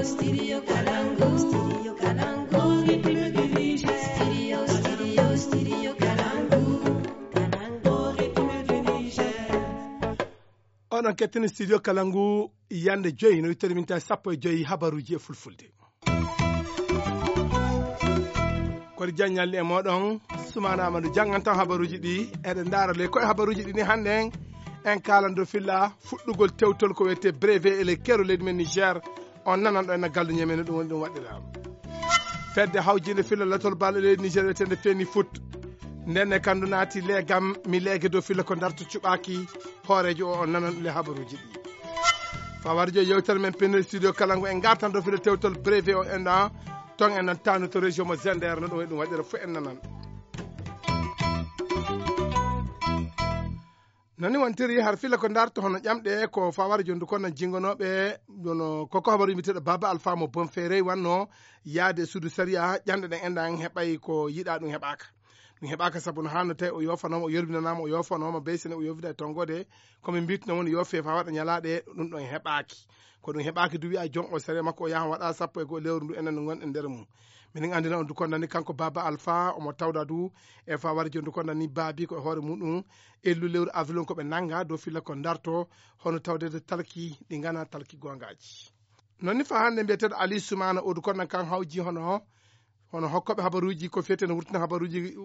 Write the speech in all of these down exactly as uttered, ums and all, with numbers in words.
Studio Kalangu, Studio Kalangu, Ritme du Niger. Studio, Studio, Studio Kalangu, Kalangu, Ritme du Niger. Oɗon kettini Studio Kalangu yande joyi, no wittori min tawi sappo e joyi habaruji e fulfulde. Kori jaññalli e moɗon, Sumana Amadou janngantan habaruji ɗi. Eɗen ndaara le koye habaruji ɗi ni hannde en, en kaalan dow filla fuɗɗugol tewtol ko wiyetee brevet e le kero leydi men Niger. On nanan ɗo en galluñe men no ɗum woni ɗum waɗɗiraama. Fedde hawjinde filla latol bal e leydi Niger wiyetende Feni Foot. Nden e kandu naati leegam mi leege dow filla ko ndarto cuɓaaki hooreejo o, on nanan le habaruji ɗi. Fawar jo yewtere men penne studio kala ngo en gartan dow filla tewtol brevet o en ɗan ton en nan tanu to région mo Zender no ɗum e ɗum waɗira fof en nanan. Nani wontiri har filla ko ndarto hono ƴamɗe ko fawar jondu kon nan jingonooɓe ɗono koko habaru mbiteɗo Baba Alpha mo Bonferrey wanno yaade e suudu sariya ƴamɗe ɗen enɗan heɓay ko yiɗa ɗum heɓaka. Ɗum heɓaka sabu no hanno tawi o yofanooma o yorbinanaama o yofanooma beysene o yofida e tongode komi mbitno woni yofe fa waɗa ñalaɗe ɗum ɗon heɓaki. Ko ɗum heɓaki du wiya jon o sariya makko o yahan waɗa sappo e goo lewru ndu enen no gonɗen nder mum. Minin anndina on du konnani kanko Baba Alpha omo tawda du e fa wari jondu konnani baabi ko e hoore muɗum ellu lewru avril on ko ɓe nanga dow filla ko darto hono tawdede talki ɗi gana talki gongaji. Non ni fa hannde mbiyeteeɗo Ali Soumana o du konnan kan hawji hono hono hokkoɓe habaruji ko fiyete no wurtina habaruji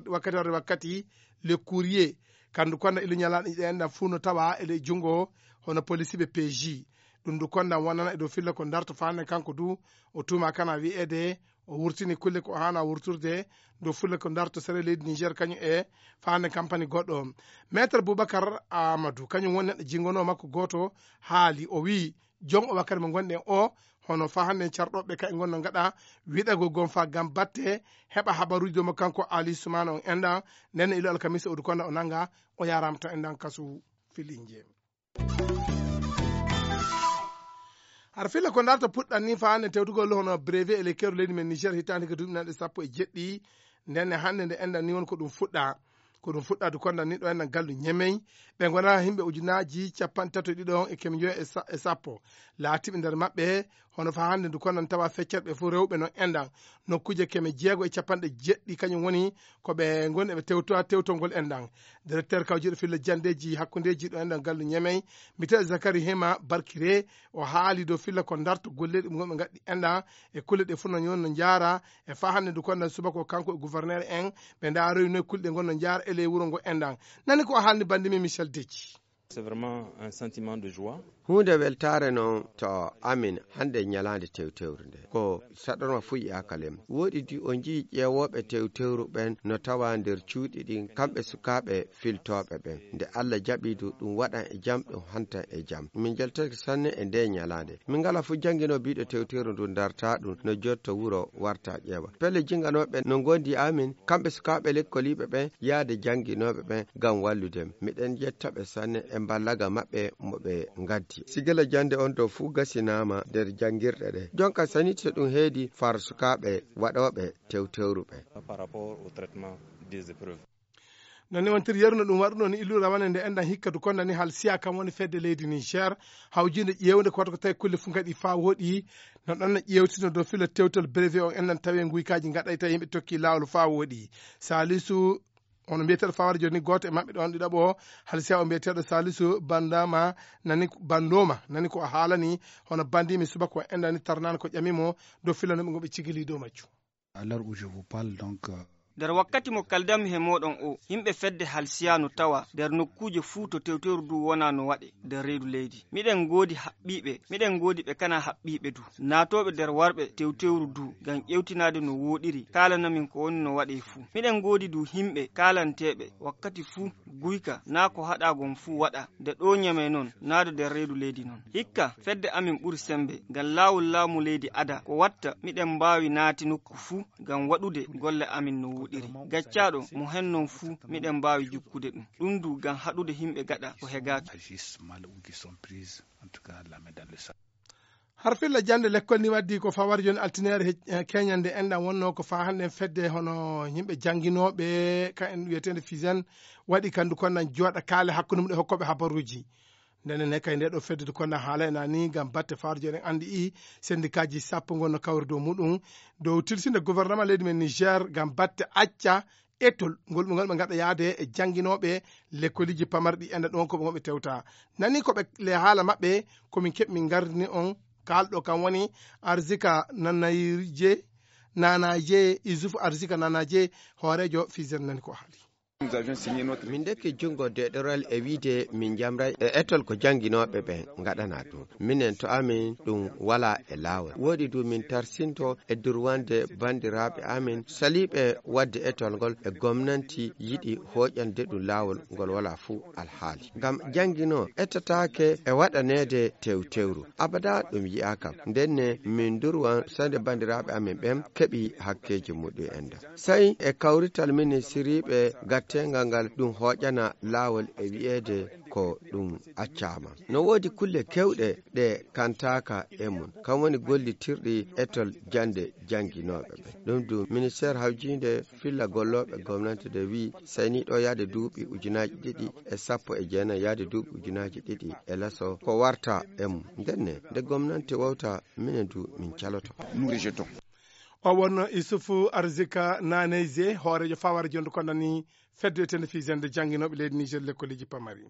wakkati warde wakkati le courrier kandu konda ilo ñalaɗo ɗen ɗan fuu no tawa ele junngo hono polisiɓe P J. Ɗum ndu konda wonana e dow filla ko darto fa hannde kanko du o tuma kana wi'ede o wurtini kulle ko hana wurturde dow filla ko darto sere leydi Niger kañum e fa hannde kampani goɗɗo. Maître Boubacar Amadou kañum woni neɗɗo jingono makko goto haali o wi jon o wakkati mo gonɗen o hono fa hannde carɗoɓe ka e gonno gaɗa wiɗagol gon fa gam batte heɓa habaruji dow mo kanko Ali Soumana on enɗan. Nden ilo alkamisa o du konda o nanga o yarama to enɗan kasu filinje. Har filla ko darta puɗɗan ni fa hannde tewtugol hono brevet e le keru leydi men Niger hitande ko duuɓi nanɗe sappo e jeɗɗi. Nden e hannde nde enɗan ni woni ko ɗum fuɗɗa ko ɗum fuɗɗa du kondan ni ɗo enɗan gallu ñemey ɓe gona himɓe ujunaji capanɗe tato e ɗiɗo on e kemi joyi e sappo laatiɓe nder maɓɓe. Hono fa hannde ndu kondan tawa feccat ɓe fof rewɓe no enɗan nokkuje keme jeego e capanɗe jeɗɗi kañum woni ko ɓe goni eɓe tewtowa tewtol ngol enɗan. Directeur kawjuɗo filla jandeji hakkundeji ɗo enɗan gallu ñemey mbiteɗo Zakari Hema Barkire o haali dow filla ko darto golleɗi ɗum gonɓe gaddi enɗan e kulle ɗe fof no ñon no jaara e fa hannde ndu kondan subaka o kanko e gouverneur en ɓe ndaroyno e kulle ɗe gonno jaara e ley wuro ngo enɗan. Nani ko o haalni bandi min Michel Deji. C'est vraiment un sentiment de joie. Huunde weltaare noon to amin hannde ñalaande tewtewru nde ko saɗorma fuɗi akalem woɗi di o njii ƴeewooɓe tewtewru ɓen no tawa nder cuuɗi ɗin kamɓe sukaaɓe filtooɓe ɓen nde Allah jaɓi du ɗum waɗan e jam ɗum hantan e jam min njaltake sanne e nde ñalaande min ngala fof jannginoo biiɗo tewtewru ndu darta ɗum no jotto wuro warta ƴeewa pelle jinnganooɓe no ngondi amin kamɓe sukaaɓe lekkoliiɓe ɓen yaade jannginooɓe ɓen ngam wallude miɗen yetta ɓe sanne e mballaga maɓɓe mo ɓe ngaddi sigila jannde on ɗo fuu gasinaama nder janngirɗe ɗe jonka sanite ɗum heedi far sukaaɓe waɗooɓe tewtewru ɓe. Par rapport au traitement des épreuves. Non ni wontiri yeru no ɗum waɗuno ni illu rawane nde enɗan hikka du konda ni hal siya kam woni fedde leydi Niger hawjinde ƴeewde ko waɗa ko tawi kulle fuu gaɗi fa woɗi no ɗon no ƴeewtino dow filo tewtol brevet on enɗan tawi e nguykaji gaɗay tawi yimɓe tokki lawol fa woɗi. Salisu hono mbiyeteɗo fawara joni goto e maɓɓe ɗon ɗiɗaɓo o hal siya o mbiyeteɗo Salisu bandama nani bandoma nani ko o haalani hono bandimi subaka o enɗani tarnani ko ƴamimo dow filo no ɓe goɓe cigili dow majju. À l'heure où je vous parle donc. Nder wakkati mo kaldanmi he mooɗon o, yimɓe fedde halsiya no tawa nder nokkuuje fuu to tewtewru du wona no waɗe nder reedu leydi. Miɗen ngoodi haɓɓiiɓe, miɗen ngoodi ɓe kana haɓɓiiɓe du. Naatooɓe nder warɓe tewtewru du ngam ƴewtinaade no wooɗiri, kaalana min ko woni no waɗee fuu. Miɗen ngoodi du yimɓe kaalanteeɓe wakkati fuu guyka naa ko haɗaa gon fuu waɗa. Nde ɗoo ñamey non, naa do nder reedu leydi non. Hikka, fedde amin ɓuri semmbe, ngam laawol laamu leydi ada, ko watta miɗen mbaawi naati nokku fuu ngam waɗude golle amin no wooɗiri. Gaccaaɗo mo hen non fuu, miɗen mbaawi jukkude ɗum. Ɗum du ngam haɗude yimɓe gaɗa ko hegaaki. Agissent mal ou qui sont prises, en tout cas, la main dans le sac. Har filla jannde lekkol ni waddi ko fawar joni altineere he keñande enɗan wonno ko fa hannden fedde hono yimɓe jannginooɓe ka en wiyeteende fisen waɗi kanndu kon nan jooɗa kaale hakkunde mum e hokkooɓe habaruuji. Ndenen ne kay nde ɗo fedde du konda haala ena ni ngam batte faaruji eɗen anndi i sendikaaji sappo ngonno kawri dow muɗum dow tilsinde gouvernement leydi men Niger ngam batte acca etol ngol ɓe ngonɓe ngaɗa yaade e jannginooɓe lekkoliji pamarɗi enda ɗon ko ɓe ngonɓe tewta. Nani ko ɓe le haala maɓɓe ko min keɓ min ngardini on kaalɗo kam woni Arzika Nanaje Nanaje Isuf Arzika Nanaje hooreejo Fizer nani ko haali. Min ndekki junngo deɗoral e wiyde min njamray e etol ko jannginooɓe ɓe ngaɗana ɗum. Minen to amin ɗum wala e laawol. Woɗi du min tarsinto e durwande banndiraaɓe amin saliiɓe waɗde etol ngol e gomnanti yiɗi hooƴande ɗum laawol ngol wala fuu alhaali. Ngam jannginoo etataake e waɗaneede tewtewru. Abada ɗum yi'aaka. Ndenne min durwan sande banndiraaɓe amin ɓen keɓi hakkeeji muɗum enda. Sey e kawrital ministiriiɓe gatteengal ngal ɗum hooƴana laawol e wi'eede ko ɗum accaama. No woodi kulle keewɗe ɗe kantaaka e mum, kam woni gollitirɗi etol jannde jannginooɓe ɓe. Ɗum du ministeer hawjiinde filla gollooɓe gomnante de wi'i sey ni ɗo yaade duuɓi ujunaaji ɗiɗi e sappo e jeenayi yaade duuɓi ujunaaji ɗiɗi e laso ko warta e mum. Ndenne nde gomnante wowta minen du min caloto. O wonno Isufu Arzika Naneyze hooreejo faware jonde kondani fedde wiyetende Fizende jannginooɓe leydi Niger lekkoleeji pamari.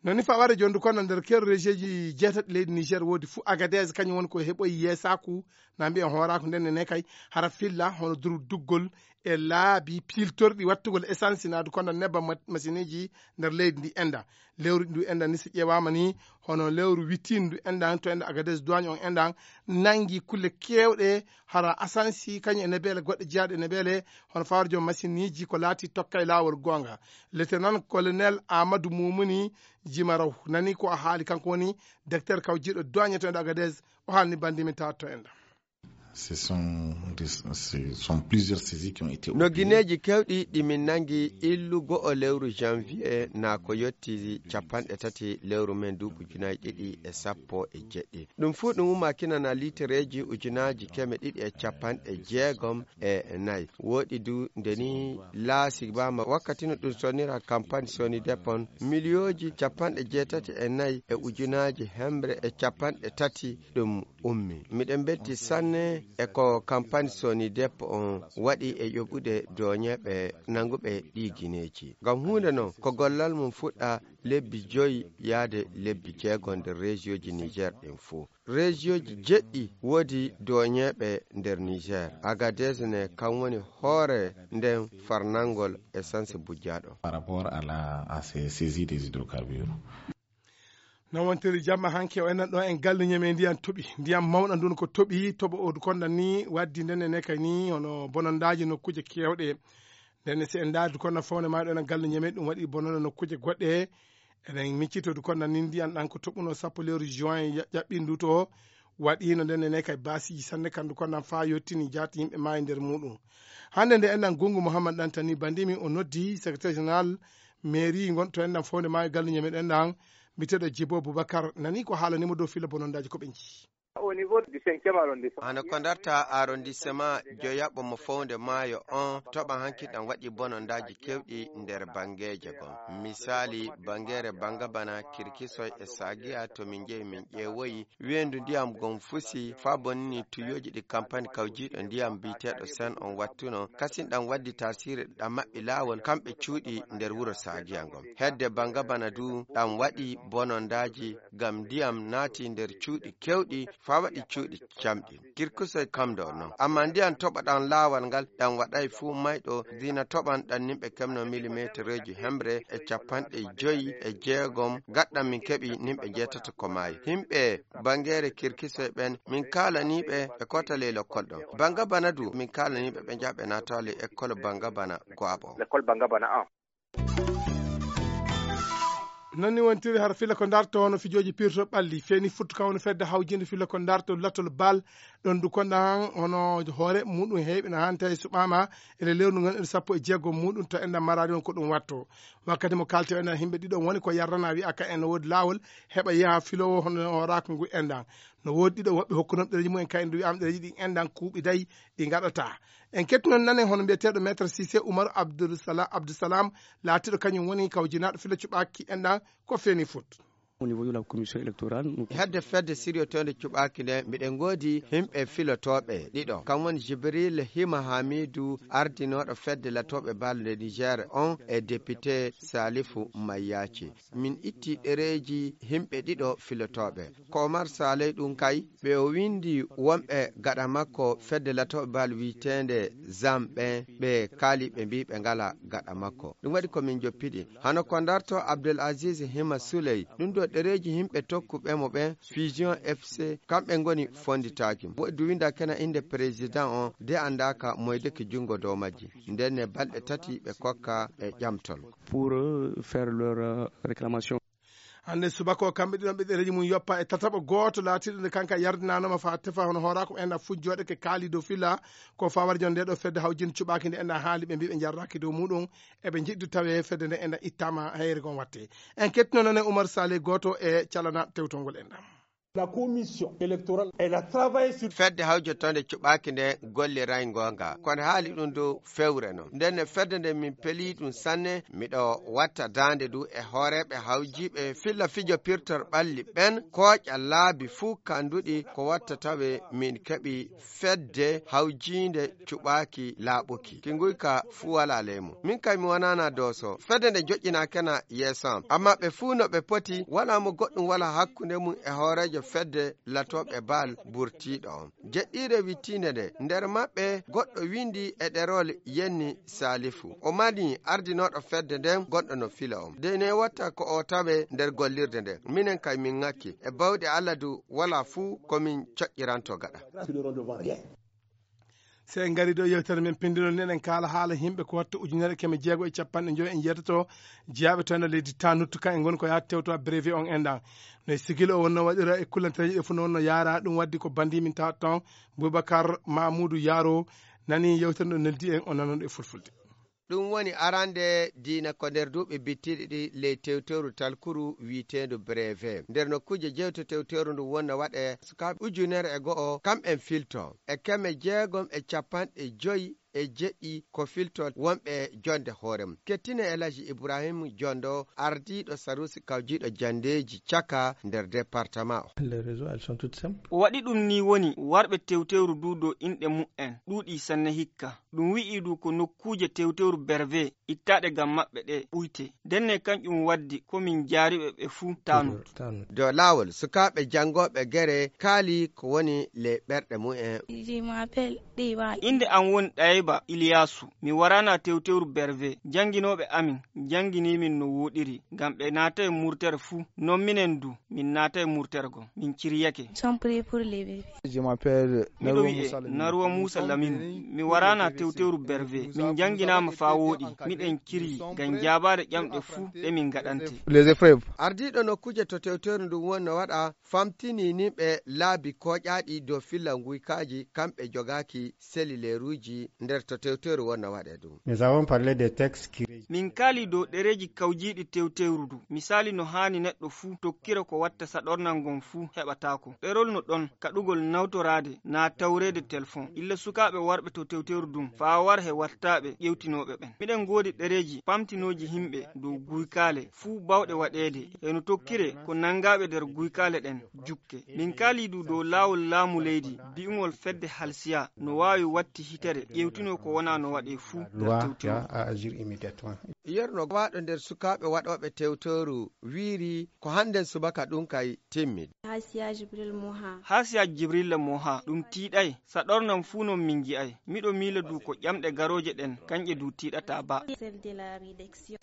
Noni faware jonde kono nder kero rejeji jeetati leydi Niger woodi fuu Agadez kañum woni ko heɓoyi yeesaaku na mbiyen hooraaku nden ne kay hara filla hono durduggol e laabi piltorɗi wattu gol essence na du kono nebbam ma- machine uji nder leydi ndi enda. Lewru ndu enda ni si ƴeewaama ni hono lewru wittindu endan to enda Agadez duwaañ on endan nangi kulle keewɗe hara asansi kañum e nebeele goɗɗe jeyaaɗe e nebeele hono fawre joom machine uji ko laati tokka e laawol goonga. Lieutenant colonel Amadou Moumouni Djimaraw nani ko o haali kanko woni directeur kawjiiɗo duwaañ to enda Agadez o haalni banndi min tawat to enda. Ce sont, des- ce sont plusieurs saisies qui ont été No opérées. gineeji kewɗi ɗi min nangi illu go'o lewru janvier na ko yotti capanɗe tati lewru men duuɓi ujunaji ɗiɗi e sappo e jeɗɗi. Ɗum fuu ɗum ummakinana litereeji ujunaaji keme ɗiɗi e capanɗe jeegom e nayi. Woɗi du nde ni laasi bama wakkati no ɗum sonira campagne soni depon miliyooji capanɗe jeetati e nayi e ujunaaji hemre e capanɗe tati ɗum ummi. Miɗen belti sanne e ko campagne soni deppo on waɗi e yoɓude doñeeɓe nanguɓe ɗi gineeji. Ngam huunde non ko gollal mum fuɗɗa lebbi joyi yaade lebbi jeego nder rejiyoji Niger ɗin fuu. Rejiyoji jeɗɗi woodi doñeeɓe nder Niger. Agadez ne kam woni hoore nden farnangol essence bujjaaɗo. Par rapport à, la, à ces saisies des hydrocarbures. No wontiri jamma hanke o enen ɗo en galle ñeme ndiyam toɓi ndiyam mawɗam ndun ko toɓi toɓo o konda ni waddi nden ne kay ni hono bonondaaji nokkuuje kewɗe. Nden si en ndaari du konda fawne ma ɗo enen galle ñeme ɗum waɗi bononda nokkuuje goɗɗe. Eɗen miccito du konda ni ndiyam ɗan ko toɓuno sappo lewru juin ƴaɓɓindu to waɗino nden ne kay basiiji sanne kandu konda fa yottini jaati yimɓe maayi nder muɗum. Hannde nde enɗan Gungu Muhammad Dantani bandimi o noddi secrétaire général mairie gonɗo to enɗan fawde maayo galle ñeme ɗenɗan mbiteɗo Jibo Boubacar nani ko haalanimo dow filla bonondaaji ko ɓe njii. Au niveau du cinquième arrondissement. Hano ko darta arrondissement joyaɓo mo fowde maayo on toɓa hanki ɗan waɗi bonondaaji kewɗi nder bangeeje gon. Misali bangere bangabana kirkisoy e sagiya to min jehi min ƴeewoyi weendu ndiyam gon fusi faa bonnini tuyooji ɗi kampani kawjiiɗo ndiyam biyeteeɗo Sen on wattuno, kasin ɗam waddi taasiiri ɗam maɓɓi laawol kamɓe cuuɗi nder wuro Saagiya ngon. Hedde banga bana du ɗam waɗi bonondaaji ngam ndiyam naati nder cuuɗi kewɗi faa waɗi cuuɗi camɗi. Kirkusoy kam ɗo non. Ammaa ndiyam toɓa ɗam laawol ngal ɗam waɗay fuu mayɗo dina toɓan ɗam nimɓe kemno milimetereeji hemre e capanɗe joyi e jeegom gaɗɗam min keɓi nimɓe jeetato ko maayi. Himɓe bangeere kirkisoy ɓen min kaalanii ɓe ɓe koota ley lekkol ɗon. Banga bana du min kaalanii ɓe ɓe njaha ɓe naata ley ekkol banga bana go'aɓo. Lekkol banga bana an. Non ni wontiri har filla ko darto hono fijooji pirto ɓalli feeni futtu kam woni fedde hawjinde filla ko darto latol bal ɗon du konda han hono hoore muɗum heewi na hanta e suɓama ele lewru ngon en sappo e jeego muɗum to enɗan marari on ko ɗum watto. Wakkati mo kalti o enɗan himɓe ɗiɗo woni ko yarrana wi'a ka en no woodi laawol heɓa yaha filowo hono hooraka ngu enɗan. No woodi ɗiɗo woɓɓe hokkunoɓe ɗereji mumen ka en du wi'ama ɗereji ɗin enɗan kuuɓi dayi ɗi ngaɗata. En kettunon nanen hono mbiyeteeɗo maître Cissé Umaru Abdulsalam Abdulsalam laatiɗo kañum woni kawjinaaɗo filo cuɓaaki enɗan ko feeni foot. Au niveau de la commission électorale, nous... Hedde fedde siryotoonde cuɓaaki nde, miɗen ngoodi yimɓe filotooɓe ɗiɗo. Kam woni Jibril Hima Hamidu, ardinooɗo fedde latooɓe bal nde Niger on, e député Salifu Mayyaci. Min itti ɗereeji yimɓe ɗiɗo filotooɓe. Ko Omar Saleh ɗum kay, ɓe o windi wonɓe gaɗa makko fedde latooɓe bal wiyeteende Zam ɓen, ɓe kaali ɓe mbii ɓe ngala gaɗa makko. Ɗum waɗi ko min joppiɗi. Hano ko ndarto Abdel Aziz Hima Souley, ɗum ɗo ɗereeji yimɓe tokkuɓe mo ɓen, Fusion F C, kamɓe ngoni fonditaaki. Woɗɗi du winda kena innde président on, de anndaaka moydeke junngo dow majji. Nden ne balɗe tati ɓe kokka ɓe ƴamtol. Pour, euh, faire leur, euh, réclamation. Hannde subaka o, kamɓe ɗiɗon ɓe ɗereeji mum yoppa e tataɓo gooto laatiiɗo nde kanka yardinaanoma faa tefa hono hooraako ena fujjooɗe ke kaali dow filla ko fawar jon nde ɗo fedde hawjin cuɓaaki nde ena haali ɓe mbii ɓe njarraaki dow muɗum, eɓe njiɗdu tawe fedde nde ena ittaama hayre gon watte. En kettino noon e Oumar Saleh gooto e calana tewtongol en ɗam. La commission électorale, elle a travaillé sur... Fedde hawjotonde cuɓaaki nde golliray ngoonga. Kono haali ɗum dow fewre noon. Nden no fedde nde min pelii ɗum sanne, miɗo watta daande du e hooreeɓe hawjiiɓe filla fijo pirtor ɓalli ɓen, kooƴa laabi fuu kanduɗi ko watta tawe min keɓi fedde hawjiinde cuɓaaki laaɓuki. Ki nguyka fuu walaa ley mum. Min kay mi wanaana dooso. Fedde nde joƴƴinaakena yeeso am. Ammaa ɓe fuu no ɓe poti, walaa mo goɗɗum wala hakkunde mum e hooreejo fedde latooɓe bal burtiiɗo on. Jeɗɗiire wittiinde nde, nder maɓɓe goɗɗo windi e ɗerol yenni Saalifu. O mani ardinooɗo fedde nden gonɗo no fila on. De ne watta ko o tawe nder gollirde nden. Minen kay min ŋakki. E bawɗe Alla du walaa fuu ko min coƴƴiranto gaɗa. Se en ngari ɗo yewtere men pinndinol, neɗen kaala haala yimɓe ko watta ujunere keme jeego e capanɗe joyi e njeetato jeyaaɓe toon e leydi Tanut, ka e ngoni ko yaha tewto brevet on enɗan. No e sigil o wonno waɗira e kullantereeji ɗe fof no wonno yaara ɗum, waddi ko bandi min tawata toon, Boubacar Mamoudou Yaro nani yewtere ɗo, neldi en o nanon e fulfulde. Ɗum woni arande diina ko nder duuɓi bittiɗi ɗi ley tewteeru talkuru wiyeteendu brevet. Nder nokkuuje jeewte tewteeru ndu wonno waɗe sukaaɓe ujunere e go'o kamɓen filto. E keme jeegom e capanɗe joyi e jeɗɗi ko filto wonɓe jonde hoore mum. Kettine El Hadji Ibrahim Jondo, ardiiɗo sarusi kawjiiɗo jandeeji caka nder département o. Les raisons, elles sont toutes simples. O waɗi ɗum ni woni warɓe tewteeru du dow inɗe mu'en ɗuuɗi sanne hikka. Ɗum wi'i du ko nokkuuje tewteeru berve ittaaɗe ngam maɓɓe ɗe ɓuyte. Ndenne kanƴum waddi ko min jaariɓe ɓe fuu Tanut. Dow laawol, sukaaɓe janngooɓe gere kaali ko woni ley ɓerɗe mumen. Je m'appelle Ɗeyba. Innde am woni Ɗayba Iliyaasu. Mi waraana tewteeru berve. Jannginooɓe amin njanngini min no wooɗiri, ngam ɓe naatay murtere fuu. Non minen du, min naatay murtere gon. Min ciryake. Sont prêts pour les bébés. Je m'appelle Miɗo Naruwa wi'e Musa Lamine. Naruwa Musa Lamine. Mi waraana tewteeru berve. Min njannginaama faa wooɗi. Miɗen ciryi ngam jaabaade ƴamɗe fuu ɗe min ngaɗante. Les épreuves. Ardiiɗo nokkuuje to tewteeru ndun wonno waɗa famtini nimɓe laabi kooƴaaɗi dow filla nguykaaji, kamɓe jogaaki selileeruuji nder to tewteeru wonno waɗe ɗum. Nous avons parlé des textes qui régissent. Min kaali dow ɗereeji kawjiiɗi tewteeru ndu. Misaali no haani neɗɗo fuu tokkira ko watta saɗornal ngon fuu heɓataako. Ɗerol no ɗon kaɗugol nawtoraade naa tawreede telefon. Illa sukaaɓe warɓe to tewteeru ndun faa war he wattaaɓe ƴewtinooɓe ɓen. Miɗen ngoodi ɗereeji pamtinooji himɓe dow guykaale fuu bawɗe waɗeede. Heno tokkire ko nanngaaɓe nder guykaale ɗen jukke. Min kaalii du dow laawol laamu leydi, bi'ungol fedde halsiya no waawi watti hitere, ƴeewtinoo ko wonaa no waɗee fuu nder tewteeru. Loi a agir immédiatement. Yerno gowaaɗo nder sukaaɓe waɗooɓe tewteeru wiiri ko hannden subaka ɗum kay timmi. Hasiya Jibril Moha. Hasiya Jibril Moha, ɗum tiiɗay. Saɗornan fuu non min nji'ay. Miɗo miila du ko ƴamɗe garooje ɗen, kanƴe du tiiɗataa ba. Celle de la rédaction.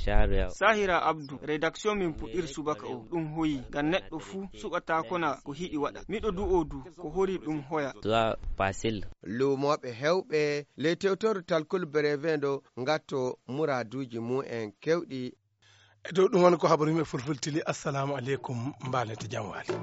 Sahira Abdu, rédaction min puɗɗiri subaka o, ɗum hoyi, ngam neɗɗo fuu suɓataakona ko hiɗi waɗa. Miɗo du'oo du, ko hori ɗum hoya. Soit facile. Luumooɓe heewɓe ley tewtoru talkol brevet ndo ngatto muraaduuji mum en keewɗi. E dow ɗum woni ko habaru yimɓe fulfultili. Assalamu aleykum, mbaalete jam waali.